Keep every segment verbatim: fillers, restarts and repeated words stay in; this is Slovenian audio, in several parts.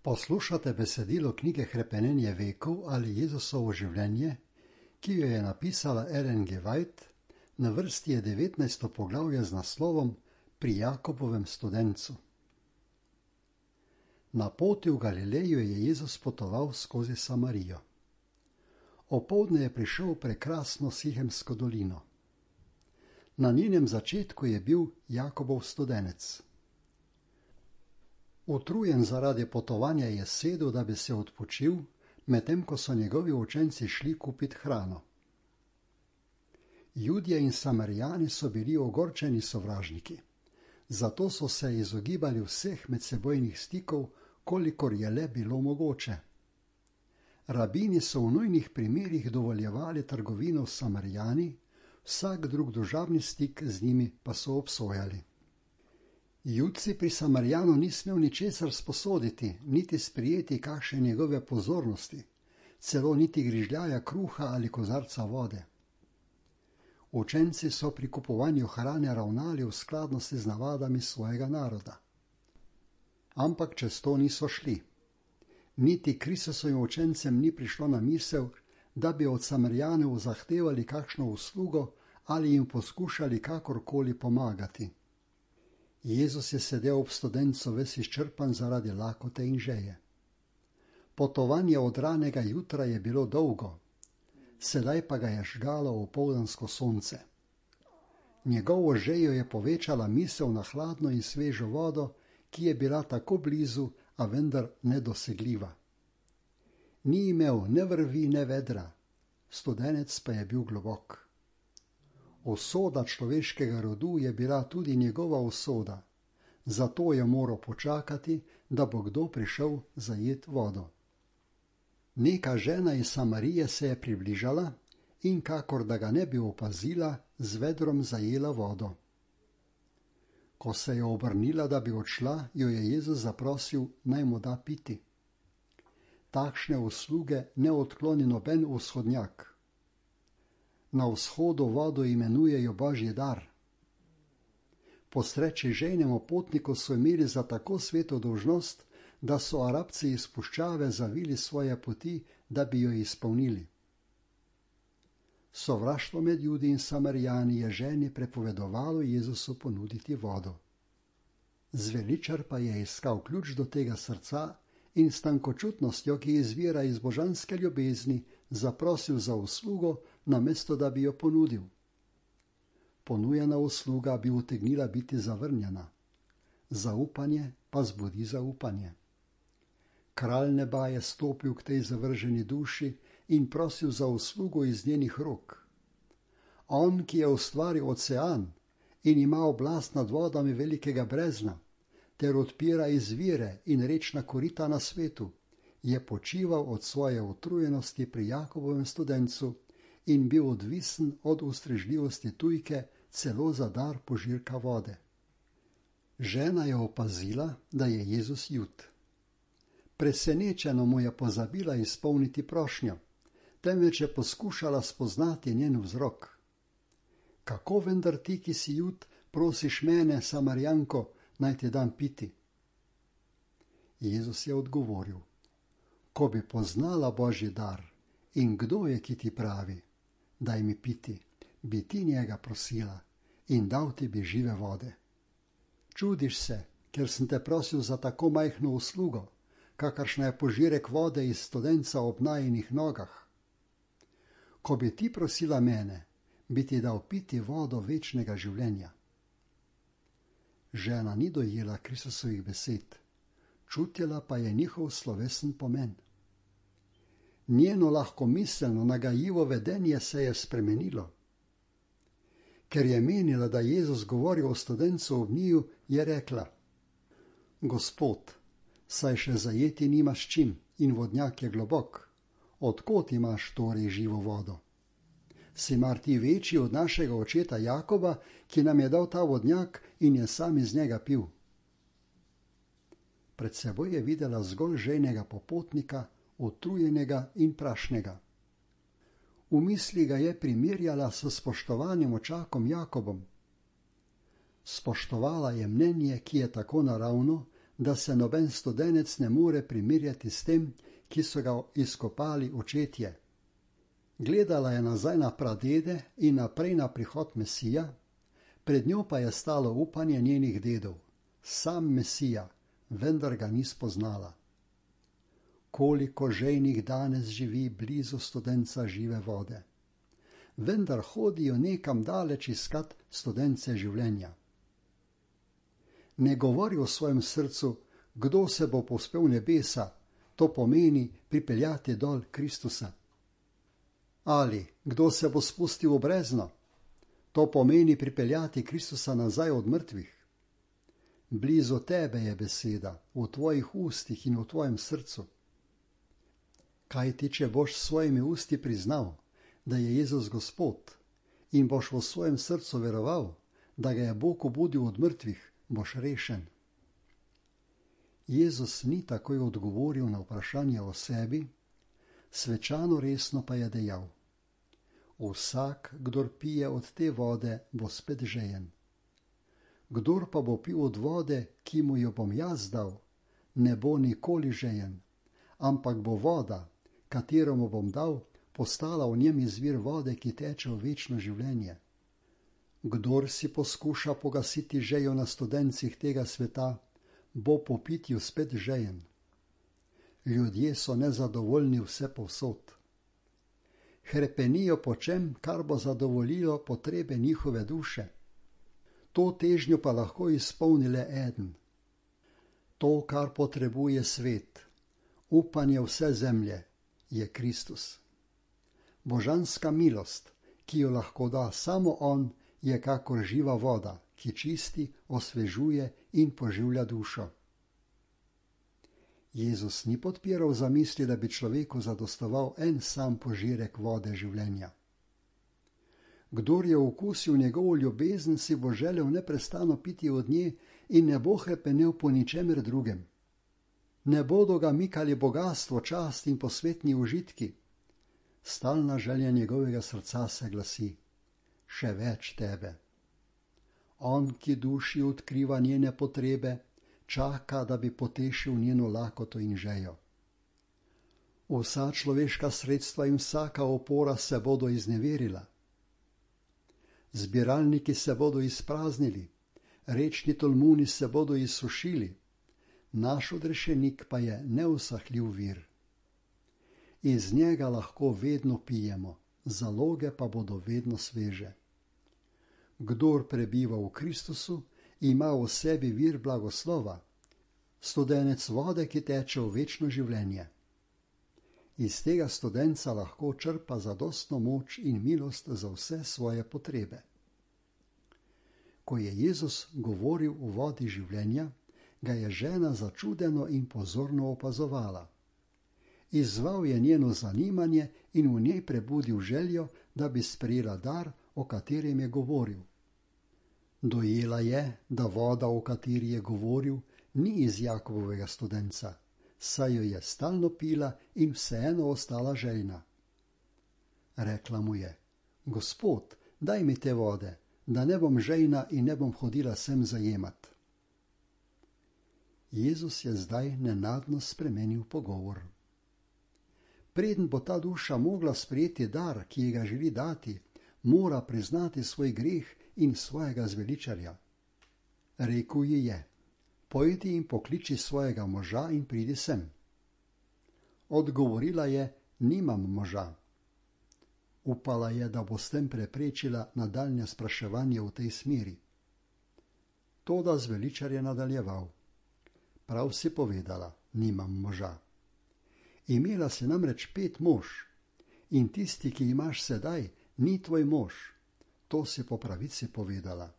Poslušate besedilo knjige Hrepenenje vekov ali Jezusovo življenje, ki jo je napisala Ellen G. White, na vrsti je devetnajsto poglavje z naslovom Pri Jakobovem studencu. Na poti v Galileju je Jezus potoval skozi Samarijo. Opoldne je prišel v prekrasno Sihemsko dolino. Na njenem začetku je bil Jakobov studenec. Utrujen zaradi potovanja je sedel, da bi se odpočil, medtem ko so njegovi učenci šli kupit hrano. Judje in Samarijani so bili ogorčeni sovražniki, zato so se izogibali vseh medsebojnih stikov, kolikor je le bilo mogoče. Rabini so v nujnih primerih dovoljevali trgovino s Samarijani, vsak drug družabni stik z njimi pa so obsojali. Judci pri Samarijanu ni smel ničesar sposoditi, niti sprijeti kakšne njegove pozornosti, celo niti grižljaja kruha ali kozarca vode. Učenci so pri kupovanju hrane ravnali v skladnosti z navadami svojega naroda. Ampak čez to niso šli. Niti Kristusovim učencem ni prišlo na misel, da bi od Samarijanov zahtevali kakšno uslugo ali jim poskušali kakorkoli pomagati. Jezus je sedel ob studencu ves izčrpan zaradi lakote in žeje. Potovanje od ranega jutra je bilo dolgo, sedaj pa ga je žgalo opoldansko sonce. Njegovo žejo je povečala misel na hladno in svežo vodo, ki je bila tako blizu, a vendar nedosegljiva. Ni imel ne vrvi, ne vedra, studenec pa je bil globok. Usoda človeškega rodu je bila tudi njegova usoda, zato je moral počakati, da bo kdo prišel zajet vodo. Neka žena iz Samarije se je približala in, kakor da ga ne bi opazila, z vedrom zajela vodo. Ko se je obrnila, da bi odšla, jo je Jezus zaprosil, naj mu da piti. Takšne usluge ne odkloni noben vzhodnjak. Na vzhodu vodo imenujejo Božji dar. Po sreči žejnemu potniku so imeli za tako sveto dolžnost, da so Arabci iz puščave zavili svoje poti, da bi jo izpolnili. Sovraštvo med Judi in Samarijani je ženi prepovedovalo Jezusu ponuditi vodo. Zveličar pa je iskal ključ do tega srca in s tankočutnostjo, ki izvira iz božanske ljubezni, zaprosil za uslugo, namesto da bi jo ponudil. Ponujena usluga bi utegnila biti zavrnjena. Zaupanje pa zbudi zaupanje. Kralj neba je stopil k tej zavrženi duši in prosil za uslugo iz njenih rok. On, ki je ustvaril ocean in ima oblast nad vodami velikega brezna, ter odpira izvire in rečna korita na svetu, je počival od svoje utrujenosti pri Jakobovem studencu in bil odvisen od ustrežljivosti tujke celo za dar požirka vode. Žena je opazila, da je Jezus jud. Presenečeno mu je pozabila izpolniti prošnjo, temveč je poskušala spoznati njen vzrok. Kako vendar ti, ki si jud, prosiš mene, Samarijanko, naj ti dam piti? Jezus je odgovoril, ko bi poznala Božji dar in kdo je, ki ti pravi, daj mi piti, bi ti njega prosila in dal ti bi žive vode. Čudiš se, ker sem te prosil za tako majhno uslugo, kakršna je požirek vode iz studenca ob najinih nogah. Ko bi ti prosila mene, bi ti dal piti vodo večnega življenja. Žena ni dojela Kristusovih besed, čutila pa je njihov slovesen pomen. Njeno lahkomiselno, nagajivo vedenje se je spremenilo. Ker je menila, da Jezus govori o studencu ob njiju, je rekla: Gospod, saj še zajeti nimaš čim in vodnjak je globok. Od kod imaš torej živo vodo? Si mar ti večji od našega očeta Jakoba, ki nam je dal ta vodnjak in je sam iz njega pil? Pred seboj je videla zgolj žejnega popotnika, utrujenega in prašnega. V misli ga je primerjala s spoštovanim očakom Jakobom. Spoštovala je mnenje, ki je tako naravno, da se noben studenec ne more primerjati s tem, ki so ga izkopali očetje. Gledala je nazaj na pradede in naprej na prihod Mesija, pred njo pa je stalo upanje njenih dedov, sam Mesija, vendar ga ni spoznala. Koliko žejnih danes živi blizu studenca žive vode, vendar hodijo nekam daleč iskat studence življenja. Ne govori v svojem srcu, kdo se bo povzpel nebesa, to pomeni pripeljati dol Kristusa. Ali kdo se bo spustil v brezno, to pomeni pripeljati Kristusa nazaj od mrtvih. Blizu tebe je beseda, v tvojih ustih in v tvojem srcu. Kaj ti, če boš s svojimi usti priznal, da je Jezus Gospod, in boš v svojem srcu veroval, da ga je Bog obudil od mrtvih, boš rešen. Jezus ni takoj odgovoril na vprašanje o sebi, svečano resno pa je dejal: vsak, kdor pije od te vode, bo spet žejen. Kdor pa bo pil od vode, ki mu jo bom jaz dal, ne bo nikoli žejen, ampak bo voda, katero mu bom dal, postala v njem izvir vode, ki teče v večno življenje. Kdor si poskuša pogasiti žejo na studencih tega sveta, bo po pitju spet žejen. Ljudje so nezadovoljni vse povsod. Hrepenijo po čem, kar bo zadovoljilo potrebe njihove duše. To težnjo pa lahko izpolni le eden. To, kar potrebuje svet, upanje vse zemlje, je Kristus. Božanska milost, ki jo lahko da samo on, je kakor živa voda, ki čisti, osvežuje in poživlja dušo. Jezus ni podpiral zamisli, da bi človeku zadostoval en sam požirek vode življenja. Kdor je okusil njegovo ljubezen, si bo želel neprestano piti od nje in ne bo hrepenel po ničemer drugem. Ne bodo ga mikali bogastvo, čast in posvetni užitki. Stalna želja njegovega srca se glasi: še več tebe. On, ki duši odkriva njene potrebe, čaka, da bi potešil njeno lakoto in žejo. Vsa človeška sredstva in vsaka opora se bodo izneverila. Zbiralniki se bodo izpraznili, rečni tolmuni se bodo izsušili, naš odrešenik pa je neusahljiv vir. Iz njega lahko vedno pijemo, zaloge pa bodo vedno sveže. Kdor prebiva v Kristusu, ima v sebi vir blagoslova, studenec vode, ki teče v večno življenje. Iz tega studenca lahko črpa zadostno moč in milost za vse svoje potrebe. Ko je Jezus govoril o vodi življenja, ga je žena začudeno in pozorno opazovala. Izzval je njeno zanimanje in v njej prebudil željo, da bi sprejela dar, o katerem je govoril. Dojela je, da voda, o kateri je govoril, ni iz Jakobovega studenca, saj jo je stalno pila in vseeno ostala željna. Rekla mu je: Gospod, daj mi te vode, da ne bom žejna in ne bom hodila sem zajemat. Jezus je zdaj nenadno spremenil pogovor. Preden bo ta duša mogla sprejeti dar, ki ji ga želi dati, mora priznati svoj greh in svojega zveličarja. Rekel ji je: pojdi in pokliči svojega moža in pridi sem. Odgovorila je: nimam moža. Upala je, da bo s tem preprečila nadaljnje spraševanje v tej smeri. Toda zveličar je nadaljeval: prav si povedala, nimam moža. Imela si namreč pet mož in tisti, ki imaš sedaj, ni tvoj mož. To si po pravici povedala.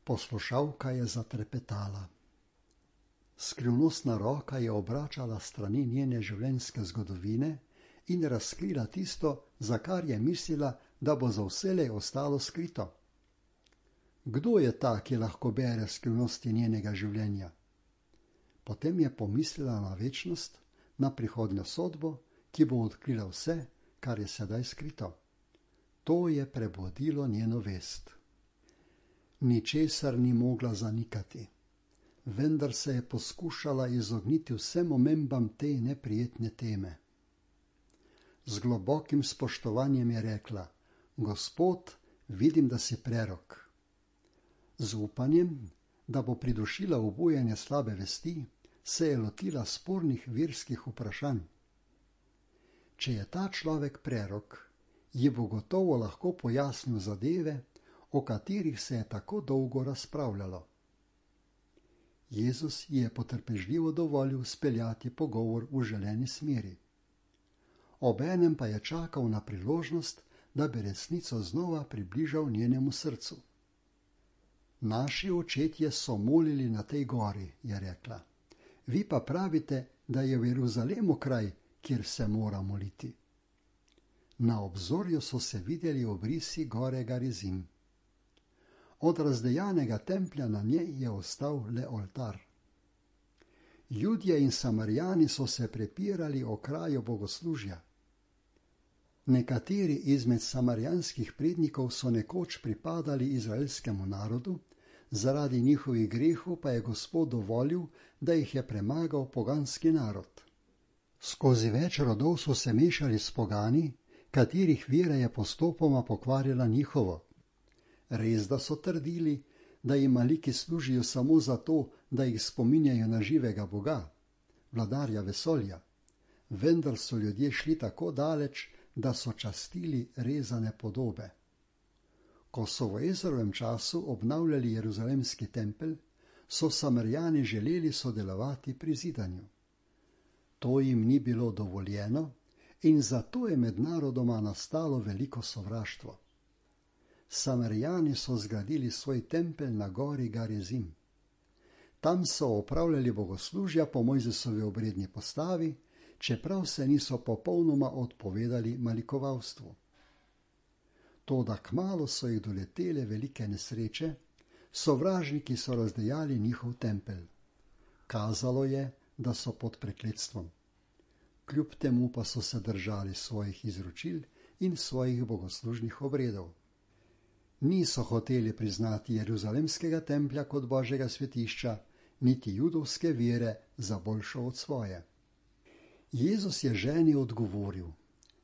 Poslušalka je zatrepetala. Skrivnostna roka je obračala strani njene življenjske zgodovine in razkrila tisto, za kar je mislila, da bo za vselej ostalo skrito. Kdo je ta, ki lahko bere skrivnosti njenega življenja? Potem je pomislila na večnost, na prihodnjo sodbo, ki bo odkrila vse, kar je sedaj skrito. To je prebudilo njeno vest. Ničesar ni mogla zanikati. vendar se je poskušala izogniti vsem omembam te neprijetne teme. Z globokim spoštovanjem je rekla: Gospod, vidim, da si prerok. Z upanjem, da bo pridušila obujanje slabe vesti, se je lotila spornih verskih vprašanj. Če je ta človek prerok, ji bo gotovo lahko pojasnil zadeve, o katerih se je tako dolgo razpravljalo. Jezus ji je potrpežljivo dovolil speljati pogovor v želeni smeri. Obenem pa je čakal na priložnost, da bi resnico znova približal njenemu srcu. Naši očetje so molili na tej gori, je rekla. Vi pa pravite, da je v Jeruzalemu kraj, kjer se mora moliti. Na obzorju so se videli obrisi gore Garizim. Od razdejanega templja na njej je ostal le oltar. Judje in Samarijani so se prepirali o kraju bogoslužja. Nekateri izmed samarijanskih prednikov so nekoč pripadali izraelskemu narodu, zaradi njihovih grehov pa je Gospod dovolil, da jih je premagal poganski narod. Skozi več rodov so se mešali s pogani, katerih vera je postopoma pokvarila njihovo. Res da so trdili, da jim maliki služijo samo zato, da jih spominjajo na živega Boga, vladarja vesolja, vendar so ljudje šli tako daleč, da so častili rezane podobe. Ko so v Ezrovem času obnavljali jeruzalemski tempelj, so Samarijani želeli sodelovati pri zidanju. To jim ni bilo dovoljeno in zato je med narodoma nastalo veliko sovraštvo. Samarijani so zgradili svoj tempelj na gori Garizim. Tam so opravljali bogoslužja po Mojzesovi obredni postavi, čeprav se niso popolnoma odpovedali malikovalstvu. Toda kmalu so jih doletele velike nesreče, sovražniki so razdejali njihov tempelj. Kazalo je, da so pod prekletstvom. Kljub temu pa so se držali svojih izročil in svojih bogoslužnih obredov. Niso hoteli priznati jeruzalemskega templja kot Božjega svetišča, niti judovske vere za boljšo od svoje. Jezus je ženi odgovoril: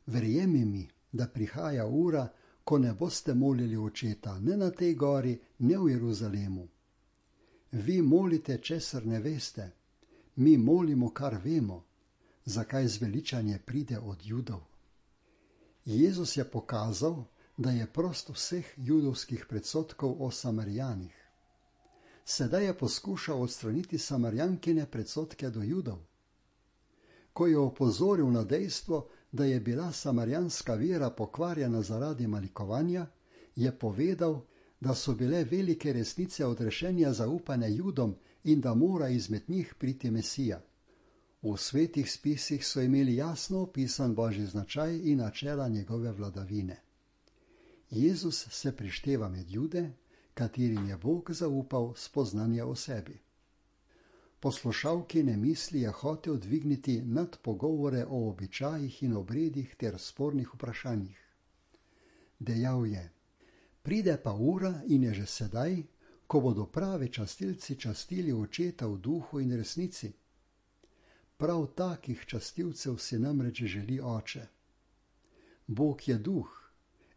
Verjemi mi, da prihaja ura, ko ne boste molili očeta ne na tej gori, ne v Jeruzalemu. Vi molite, česar ne veste, mi molimo, kar vemo, zakaj zveličanje pride od Judov. Jezus je pokazal, da je prost vseh judovskih predsodkov o Samarijanih. Sedaj je poskušal odstraniti Samarijankine predsodke do Judov. Ko je opozoril na dejstvo, da je bila samarijanska vera pokvarjena zaradi malikovanja, je povedal, da so bile velike resnice odrešenja zaupane Judom in da mora izmed njih priti Mesija. V svetih spisih so imeli jasno opisan Božji značaj in načela njegove vladavine. Jezus se prišteva med Jude, katerim je Bog zaupal spoznanje o sebi. Poslušalkine misli je hotel dvigniti nad pogovore o običajih in obredih ter spornih vprašanjih. Dejal je: Pride pa ura in je že sedaj, ko bodo pravi častilci častili očeta v duhu in resnici. Prav takih častilcev si namreč želi Oče. Bog je duh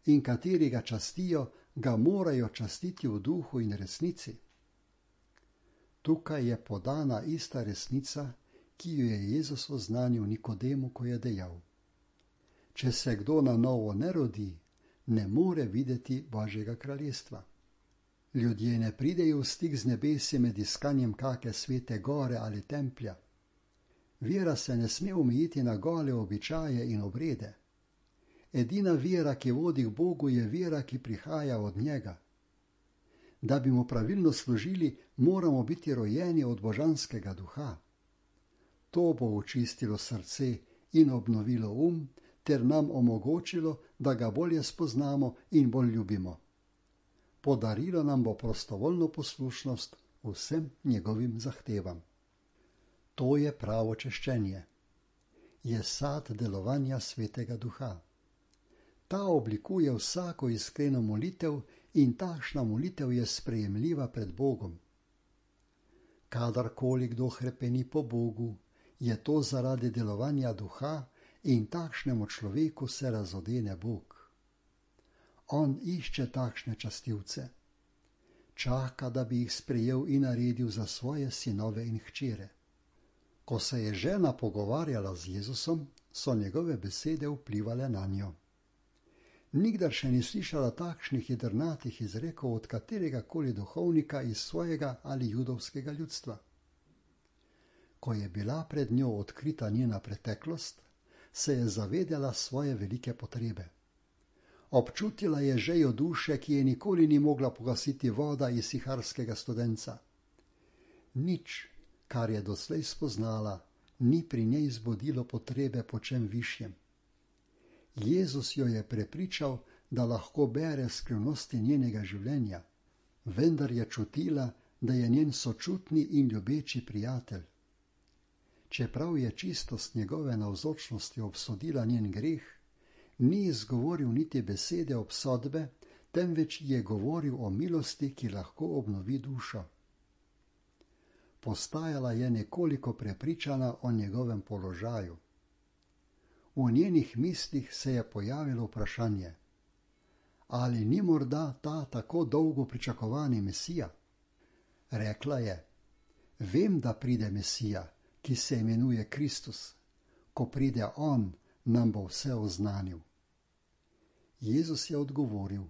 in kateri ga častijo, ga morajo častiti v duhu in resnici. Tukaj je podana ista resnica, ki jo je Jezus oznanil Nikodemu, ko je dejal: Če se kdo na novo ne rodi, ne more videti Božjega kraljestva. Ljudje ne pridejo v stik z nebesi med iskanjem kake svete gore ali templja. Vera se ne sme omejiti na gole običaje in obrede. Edina vera, ki vodi k Bogu, je vera, ki prihaja od njega. Da bi mu pravilno služili, moramo biti rojeni od božanskega duha. To bo očistilo srce in obnovilo um, ter nam omogočilo, da ga bolje spoznamo in bolj ljubimo. Podarilo nam bo prostovoljno poslušnost vsem njegovim zahtevam. To je pravo češčenje. Je sad delovanja svetega duha. Ta oblikuje vsako iskreno molitev in takšna molitev je sprejemljiva pred Bogom. Kadarkoli kdo hrepeni po Bogu, je to zaradi delovanja duha in takšnemu človeku se razodene Bog. On išče takšne častilce. Čaka, da bi jih sprejel in naredil za svoje sinove in hčere. Ko se je žena pogovarjala z Jezusom, so njegove besede vplivale na njo. Nikdar še ni slišala takšnih jedrnatih izrekov od katerega koli duhovnika iz svojega ali judovskega ljudstva. Ko je bila pred njo odkrita njena preteklost, se je zavedela svoje velike potrebe. Občutila je žejo duše, ki je nikoli ni mogla pogasiti voda iz siharskega studenca. Nič, kar je doslej spoznala, ni pri njej zbudilo potrebe po čem višjem. Jezus jo je prepričal, da lahko bere skrivnosti njenega življenja, vendar je čutila, da je njen sočutni in ljubeči prijatelj. Čeprav je čistost njegove navzočnosti obsodila njen greh, ni izgovoril niti besede obsodbe, temveč je govoril o milosti, ki lahko obnovi dušo. Postajala je nekoliko prepričana o njegovem položaju. V njenih mislih se je pojavilo vprašanje, ali ni morda ta tako dolgo pričakovani Mesija? Rekla je, vem, da pride Mesija, ki se imenuje Kristus. Ko pride on, nam bo vse oznanil. Jezus je odgovoril,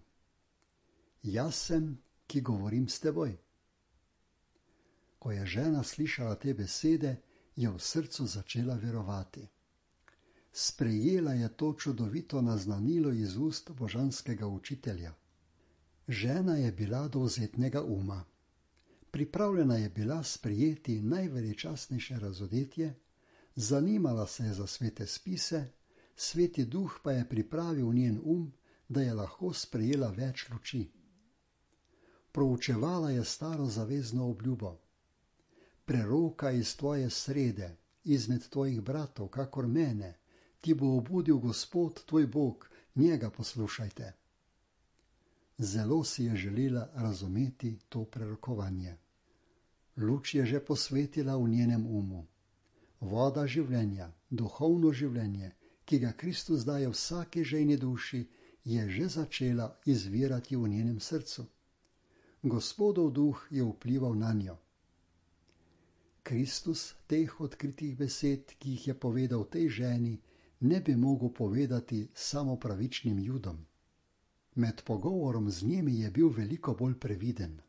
jaz sem, ki govorim s teboj. Ko je žena slišala te besede, je v srcu začela verovati. Sprejela je to čudovito naznanilo iz ust božanskega učitelja. Žena je bila dovzetnega uma. Pripravljena je bila sprejeti najveličastnejše razodetje, zanimala se je za svete spise, sveti duh pa je pripravil njen um, da je lahko sprejela več luči. Proučevala je staro zavezno obljubo. Preroka iz tvoje srede, izmed tvojih bratov, kakor mene, ti bo obudil Gospod tvoj Bog, njega poslušajte. Zelo si je želela razumeti to prerokovanje. Luč je že posvetila v njenem umu. Voda življenja, duhovno življenje, ki ga Kristus daje vsaki žejni duši, je že začela izvirati v njenem srcu. Gospodov duh je vplival na njo. Kristus teh odkritih besed, ki jih je povedal tej ženi, ne bi mogel povedati samo pravičnim Judom. Med pogovorom z njimi je bil veliko bolj previden.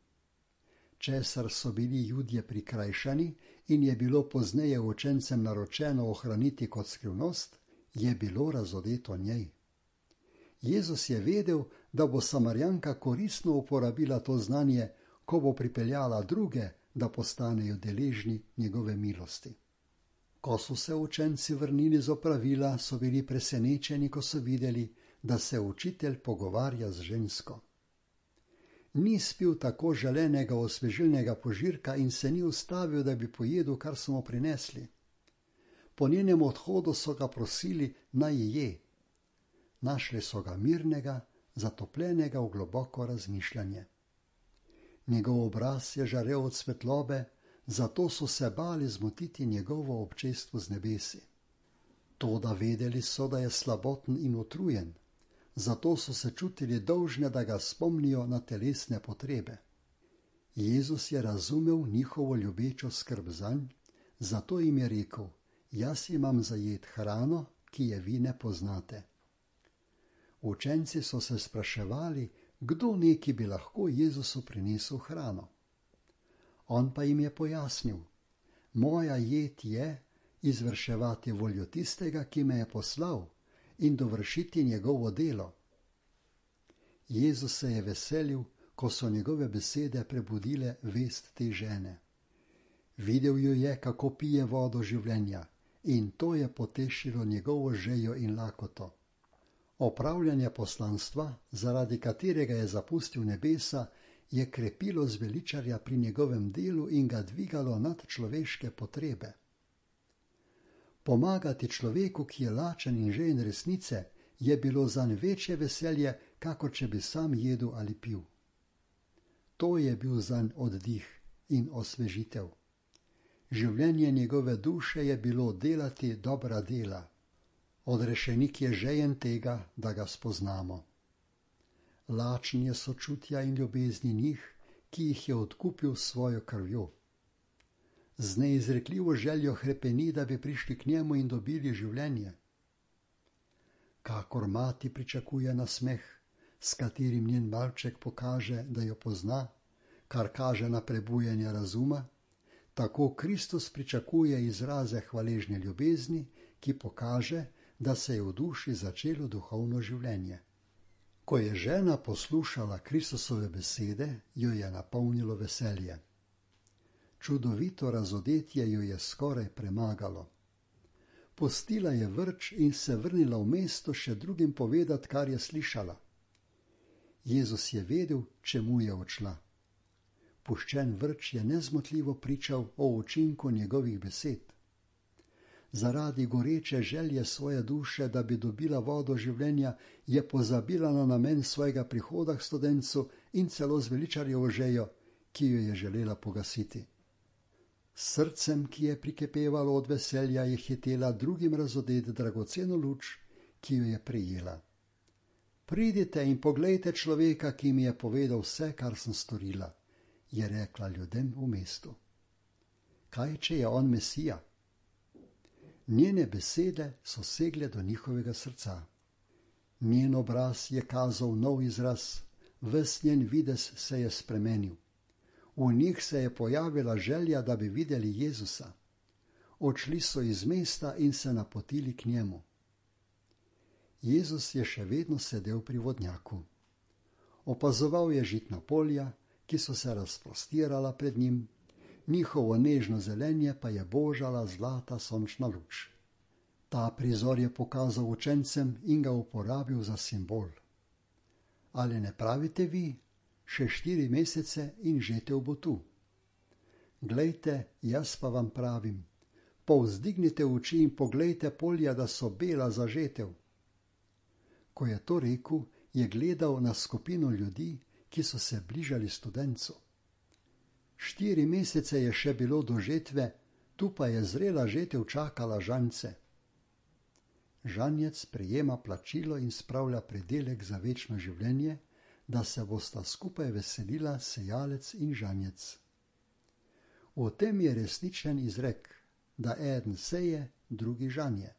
Česar so bili Judje prikrajšani in je bilo pozneje učencem naročeno ohraniti kot skrivnost, je bilo razodeto njej. Jezus je vedel, da bo Samarjanka koristno uporabila to znanje, ko bo pripeljala druge, da postanejo deležni njegove milosti. Ko so se učenci vrnili z opravila, so bili presenečeni, ko so videli, da se učitelj pogovarja z žensko. Ni spil tako želenega osvežilnega požirka in se ni ustavil, da bi pojedel, kar so mu prinesli. Po njenem odhodu so ga prosili, naj je. Našli so ga mirnega, zatopljenega v globoko razmišljanje. Njegov obraz je žarel od svetlobe, zato so se bali zmotiti njegovo občestvo z nebesi. Toda vedeli so, da je slaboten in utrujen, zato so se čutili dolžne, da ga spomnijo na telesne potrebe. Jezus je razumel njihovo ljubečo skrb zanj, zato jim je rekel, jaz imam zajet hrano, ki je vi ne poznate. Učenci so se spraševali, kdo neki bi lahko Jezusu prinesel hrano. On pa jim je pojasnil, moja jed je izvrševati voljo tistega, ki me je poslal, in dovršiti njegovo delo. Jezus se je veselil, ko so njegove besede prebudile vest te žene. Videl jo je, kako pije vodo življenja, in to je potešilo njegovo žejo in lakoto. Opravljanje poslanstva, zaradi katerega je zapustil nebesa, je krepilo zveličarja pri njegovem delu in ga dvigalo nad človeške potrebe. Pomagati človeku, ki je lačen in žejen resnice, je bilo zanj večje veselje, kakor če bi sam jedel ali pil. To je bil zanj oddih in osvežitev. Življenje njegove duše je bilo delati dobra dela. Odrešenik je žejen tega, da ga spoznamo. Lačen je sočutja in ljubezni njih, ki jih je odkupil s svojo krvjo. Z neizrekljivo željo hrepeni, da bi prišli k njemu in dobili življenje. Kakor mati pričakuje nasmeh, s katerim njen malček pokaže, da jo pozna, kar kaže na prebujanje razuma, tako Kristus pričakuje izraze hvaležne ljubezni, ki pokaže, da se je v duši začelo duhovno življenje. Ko je žena poslušala Kristusove besede, jo je napolnilo veselje. Čudovito razodetje jo je skoraj premagalo. Pustila je vrč in se vrnila v mesto še drugim povedati, kar je slišala. Jezus je vedel, čemu je odšla. Puščen vrč je nezmotljivo pričal o učinku njegovih besed. Zaradi goreče želje svoje duše, da bi dobila vodo življenja, je pozabila na namen svojega prihoda k studencu in celo zveličarjevo željo, ki jo je želela pogasiti. S srcem, ki je prikipevalo od veselja, je hitela drugim razodeti dragoceno luč, ki jo je prejela. Pridite in poglejte človeka, ki mi je povedal vse, kar sem storila, je rekla ljudem v mestu. Kaj, če je on Mesija? Njene besede so segle do njihovega srca. Njen obraz je kazal nov izraz, ves njen videz se je spremenil. V njih se je pojavila želja, da bi videli Jezusa. Odšli so iz mesta in se napotili k njemu. Jezus je še vedno sedel pri vodnjaku. Opazoval je žitna polja, ki so se razprostirala pred njim, njihovo nežno zelenje pa je božala zlata sončna luč. Ta prizor je pokazal učencem in ga uporabil za simbol. Ali ne pravite vi, še štiri mesece in žetev bo tu? Glejte, jaz pa vam pravim, povzdignite oči in poglejte polja, da so bela za žetev. Ko je to rekel, je gledal na skupino ljudi, ki so se bližali studencu. Štiri mesece je še bilo do žetve, tu pa je zrela žetev čakala žance. Žanjec prejema plačilo in spravlja pridelek za večno življenje, da se bosta skupaj veselila sejalec in žanjec. V tem je resničen izrek, da eden seje, drugi žanje.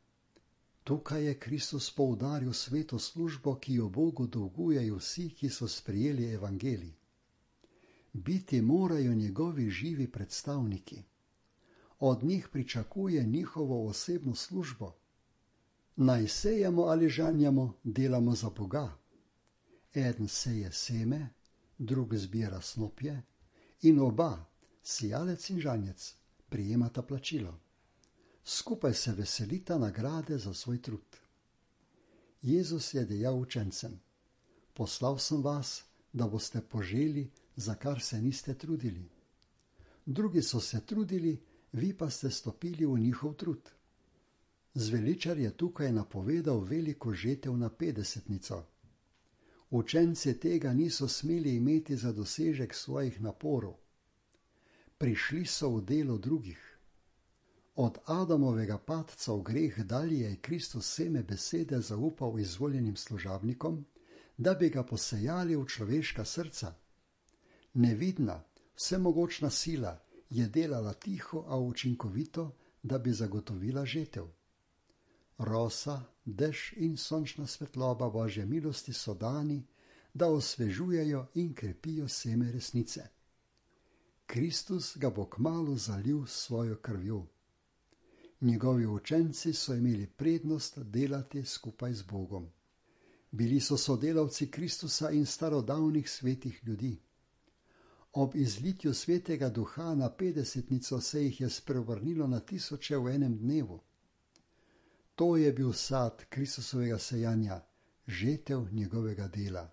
Tukaj je Kristus poudaril sveto službo, ki jo Bogu dolgujejo vsi, ki so sprejeli evangelij. Biti morajo njegovi živi predstavniki. Od njih pričakuje njihovo osebno službo. Naj sejemo ali žanjamo, delamo za Boga. Eden seje seme, drug zbira snopje in oba, sijalec in žanjec, prijemata plačilo. Skupaj se veselita nagrade za svoj trud. Jezus je dejal učencem: poslal sem vas, da boste poželi, za kar se niste trudili. Drugi so se trudili, vi pa ste stopili v njihov trud. Zveličar je tukaj napovedal veliko žetev na petdesetnico. Učenci tega niso smeli imeti za dosežek svojih naporov. Prišli so v delo drugih. Od Adamovega padca v greh dalje je Kristus seme besede zaupal izvoljenim služabnikom, da bi ga posejali v človeška srca. Nevidna, vsemogočna sila je delala tiho, a učinkovito, da bi zagotovila žetev. Rosa, dež in sončna svetloba Božje milosti so dani, da osvežujejo in krepijo seme resnice. Kristus ga bo kmalu zalil s svojo krvjo. Njegovi učenci so imeli prednost delati skupaj z Bogom. Bili so sodelavci Kristusa in starodavnih svetih ljudi. Ob izlitju svetega duha na petdesetnico se jih je spreobrnilo na tisoče v enem dnevu. To je bil sad Kristusovega sejanja, žetev njegovega dela.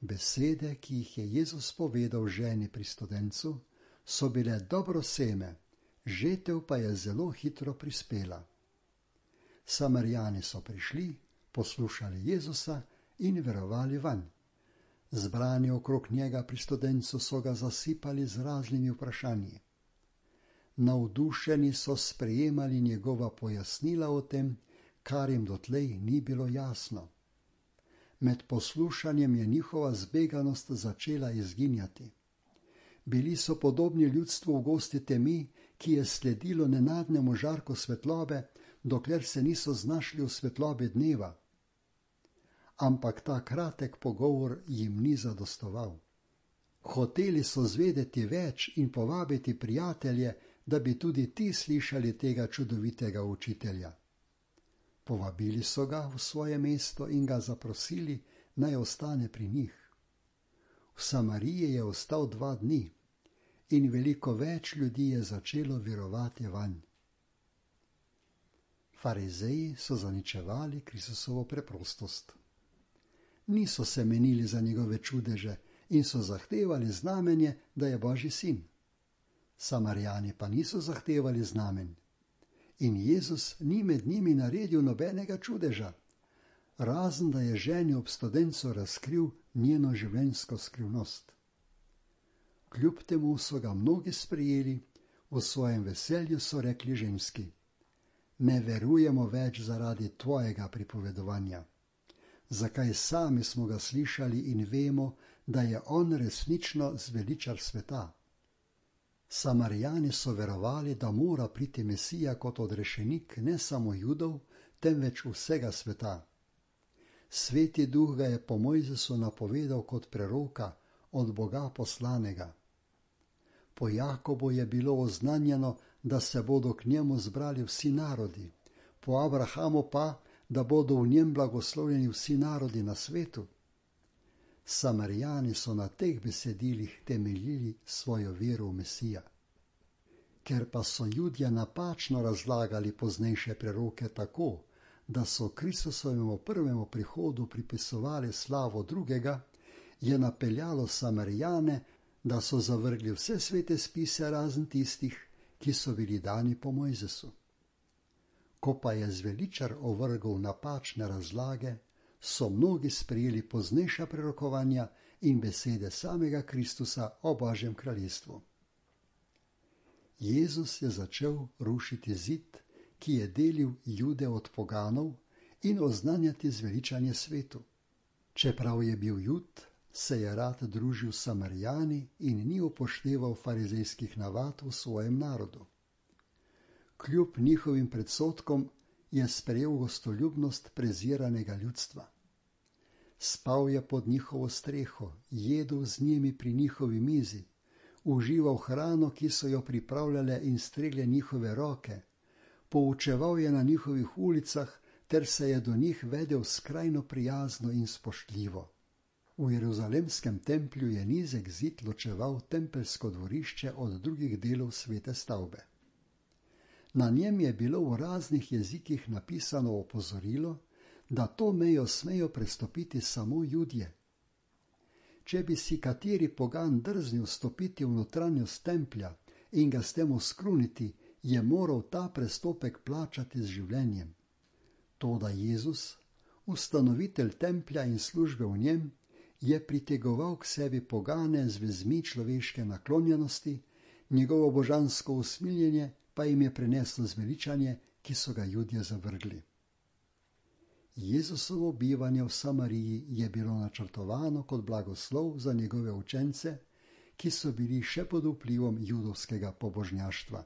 Besede, ki jih je Jezus povedal ženi pri studencu, so bile dobro seme, žetev pa je zelo hitro prispela. Samarijani so prišli, poslušali Jezusa in verovali vanj. Zbrani okrog njega pri studencu so ga zasipali z raznimi vprašanji. Navdušeni so sprejemali njegova pojasnila o tem, kar jim dotlej ni bilo jasno. Med poslušanjem je njihova zbeganost začela izginjati. Bili so podobni ljudstvu v gosti temi, ki je sledilo nenadnemu žarku svetlobe, dokler se niso znašli v svetlobi dneva. Ampak ta kratek pogovor jim ni zadostoval. Hoteli so zvedeti več in povabiti prijatelje, da bi tudi ti slišali tega čudovitega učitelja. Povabili so ga v svoje mesto in ga zaprosili, naj ostane pri njih. V Samariji je ostal dva dni in veliko več ljudi je začelo verovati vanj. Farizeji so zaničevali Kristusovo preprostost. Niso se menili za njegove čudeže in so zahtevali znamenje, da je Božji sin. Samarijani pa niso zahtevali znamen. In Jezus ni med njimi naredil nobenega čudeža, razen da je ženi ob studencu razkril njeno življenjsko skrivnost. Kljub temu so ga mnogi sprejeli, v svojem veselju so rekli ženski: ne verujemo več zaradi tvojega pripovedovanja. Zakaj sami smo ga slišali in vemo, da je on resnično zveličar sveta. Samarijani so verovali, da mora priti Mesija kot odrešenik ne samo Judov, temveč vsega sveta. Sveti duh ga je po Mojzesu napovedal kot preroka, od Boga poslanega. Po Jakobu je bilo oznanjeno, da se bodo k njemu zbrali vsi narodi, po Abrahamu pa, da bodo v njem blagoslovljeni vsi narodi na svetu. Samarijani so na teh besedilih temeljili svojo vero v Mesija. Ker pa so Judje napačno razlagali poznejše preroke tako, da so Kristusovemu prvemu prihodu pripisovali slavo drugega, je napeljalo Samarijane, da so zavrgli vse svete spise razen tistih, ki so bili dani po Mojzesu. Ko pa je zveličar ovrgel napačne razlage, so mnogi sprejeli poznejša prerokovanja in besede samega Kristusa o Božjem kraljestvu. Jezus je začel rušiti zid, ki je delil Jude od poganov, in oznanjati zveličanje svetu. Čeprav je bil Jud, se je rad družil s Samarijani in ni upošteval farizejskih navad v svojem narodu. Kljub njihovim predsodkom je sprejel gostoljubnost preziranega ljudstva. Spal je pod njihovo streho, jedel z njimi pri njihovi mizi, užival hrano, ki so jo pripravljale in stregle njihove roke, poučeval je na njihovih ulicah ter se je do njih vedel skrajno prijazno in spoštljivo. V jeruzalemskem templju je nizek zid ločeval tempeljsko dvorišče od drugih delov svete stavbe. Na njem je bilo v raznih jezikih napisano opozorilo, da to mejo smejo prestopiti samo Judje. Če bi si kateri pogan drznil stopiti v notranjost templja in ga s tem oskruniti, je moral ta prestopek plačati z življenjem. Toda Jezus, ustanovitelj templja in službe v njem, je pritegoval k sebi pogane z vezmi človeške naklonjenosti, njegovo božansko usmiljenje pa jim je prineslo zveličanje, ki so ga Judje zavrgli. Jezusovo bivanje v Samariji je bilo načrtovano kot blagoslov za njegove učence, ki so bili še pod vplivom judovskega pobožnjaštva.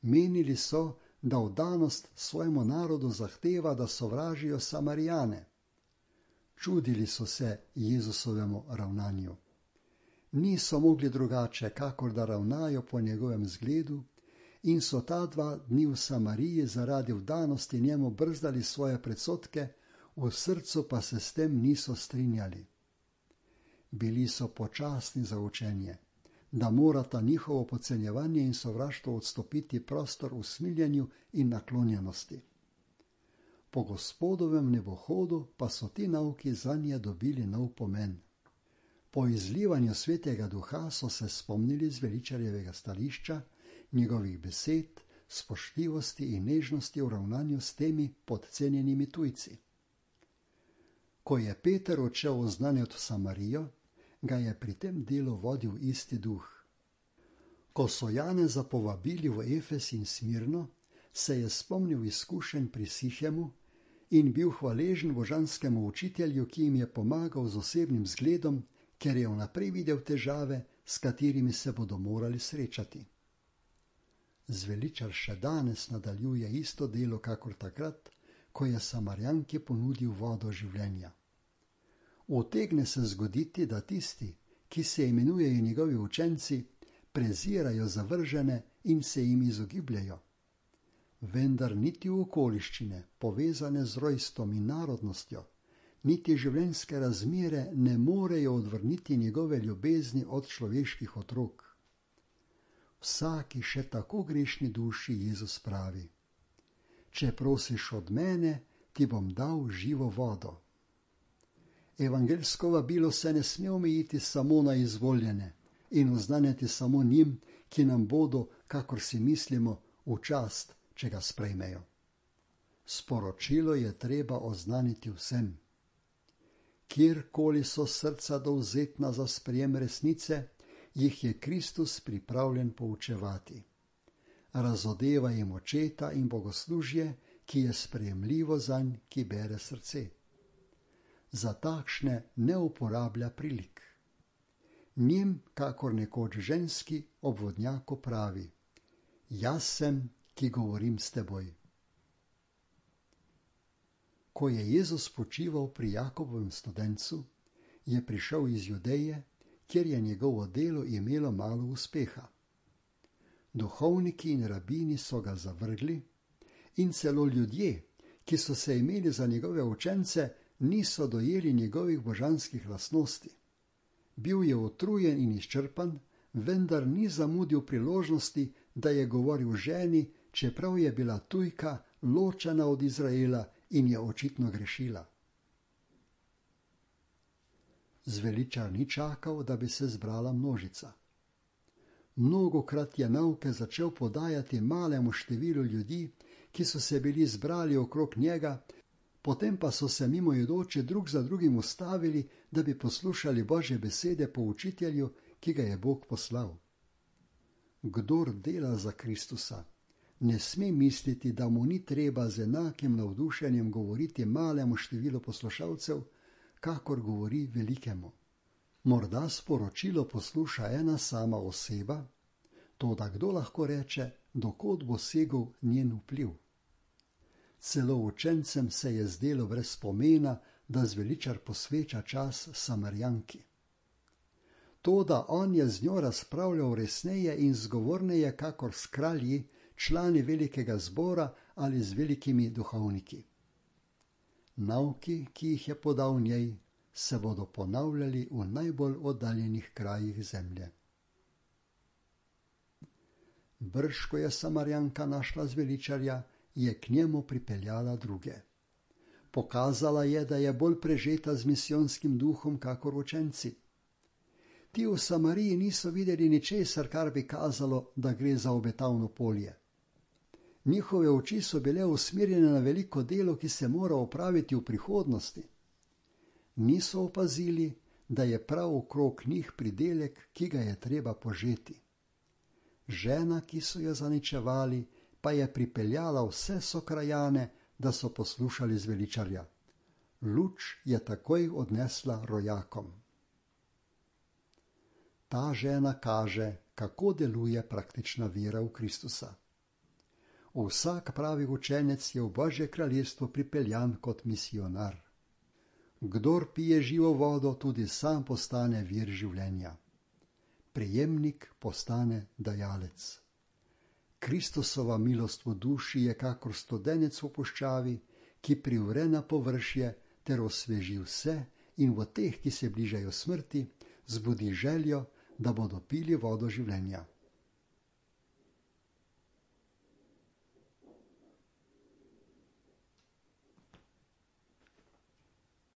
Menili so, da vdanost svojemu narodu zahteva, da sovražijo Samarijane. Čudili so se Jezusovemu ravnanju. Niso mogli drugače, kakor da ravnajo po njegovem zgledu, in so ta dva dni v Samariji zaradi vdanosti njemu brzdali svoje predsodke, v srcu pa se s tem niso strinjali. Bili so počasni za učenje, da morata njihovo podcenjevanje in sovraštvo odstopiti prostor v smiljenju in naklonjenosti. Po Gospodovem nebohodu pa so ti nauki zanje dobili nov pomen. Po izlivanju svetega duha so se spomnili zveličarjevega stališča, njegovih besed, spoštljivosti in nežnosti v ravnanju s temi podcenjenimi tujci. Ko je Peter odšel oznanjati Samarijo, ga je pri tem delu vodil isti duh. Ko so Janeza povabili v Efes in Smirno, se je spomnil izkušenj pri Sihemu in bil hvaležen božanskemu učitelju, ki jim je pomagal z osebnim zgledom, ker je vnaprej videl težave, s katerimi se bodo morali srečati. Zveličar še danes nadaljuje isto delo kakor takrat, ko je Samarjanki ponudil vodo življenja. Utegne se zgoditi, da tisti, ki se imenujejo njegovi učenci, prezirajo zavržene in se jim izogibljajo. Vendar niti okoliščine, povezane z rojstvom in narodnostjo, niti življenjske razmere ne morejo odvrniti njegove ljubezni od človeških otrok. Vsaki še tako grešni duši Jezus pravi: če prosiš od mene, ti bom dal živo vodo. Evangeljsko vabilo se ne sme omejiti samo na izvoljene in oznanjati samo njim, ki nam bodo, kakor si mislimo, v čast, če ga sprejmejo. Sporočilo je treba oznaniti vsem. Kjerkoli so srca dovzetna za sprejem resnice, jih je Kristus pripravljen poučevati. Razodeva jim očeta in bogoslužje, ki je sprejemljivo zanj, ki bere srce. Za takšne ne uporablja prilik. Njim, kakor nekoč ženski, ob vodnjaku pravi: jaz sem, ki govorim s teboj. Ko je Jezus počival pri Jakobovem studencu, je prišel iz Judeje, kjer je njegovo delo imelo malo uspeha. Duhovniki in rabini so ga zavrgli in celo ljudje, ki so se imeli za njegove učence, niso dojeli njegovih božanskih lastnosti. Bil je utrujen in izčrpan, vendar ni zamudil priložnosti, da je govoril ženi, čeprav je bila tujka, ločena od Izraela in je očitno grešila. Zveličar ni čakal, da bi se zbrala množica. Mnogokrat je nauke začel podajati malemu številu ljudi, ki so se bili zbrali okrog njega, potem pa so se mimoidoči drug za drugim ustavili, da bi poslušali Božje besede po učitelju, ki ga je Bog poslal. Kdor dela za Kristusa, ne sme misliti, da mu ni treba z enakim navdušenjem govoriti malemu številu poslušalcev, kakor govori velikemu. Morda sporočilo posluša ena sama oseba, toda kdo lahko reče, dokod bo segel njen vpliv? Celo učencem se je zdelo brez pomena, da zveličar posveča čas Samarjanki. Toda on je z njo razpravljal resneje in zgovorneje, kakor s kralji, člani velikega zbora ali z velikimi duhovniki. Nauki, ki jih je podal njej, se bodo ponavljali v najbolj oddaljenih krajih zemlje. Brž, ko je Samarjanka našla zveličarja, je k njemu pripeljala druge. Pokazala je, da je bolj prežeta z misijonskim duhom kakor učenci. Ti v Samariji niso videli ničesar, kar bi kazalo, da gre za obetavno polje. Njihove oči so bile usmerjene na veliko delo, ki se mora opraviti v prihodnosti. Niso opazili, da je prav okrog njih pridelek, ki ga je treba požeti. Žena, ki so jo zaničevali, pa je pripeljala vse sokrajane, da so poslušali zveličarja. Luč je takoj odnesla rojakom. Ta žena kaže, kako deluje praktična vera v Kristusa. Vsak pravi učenec je v Božje kraljestvo pripeljan kot misijonar. Kdor pije živo vodo, tudi sam postane vir življenja. Prejemnik postane dajalec. Kristusova milost v duši je kakor studenec v puščavi, ki privre na površje ter osveži vse in v teh, ki se bližajo smrti, zbudi željo, da bodo pili vodo življenja.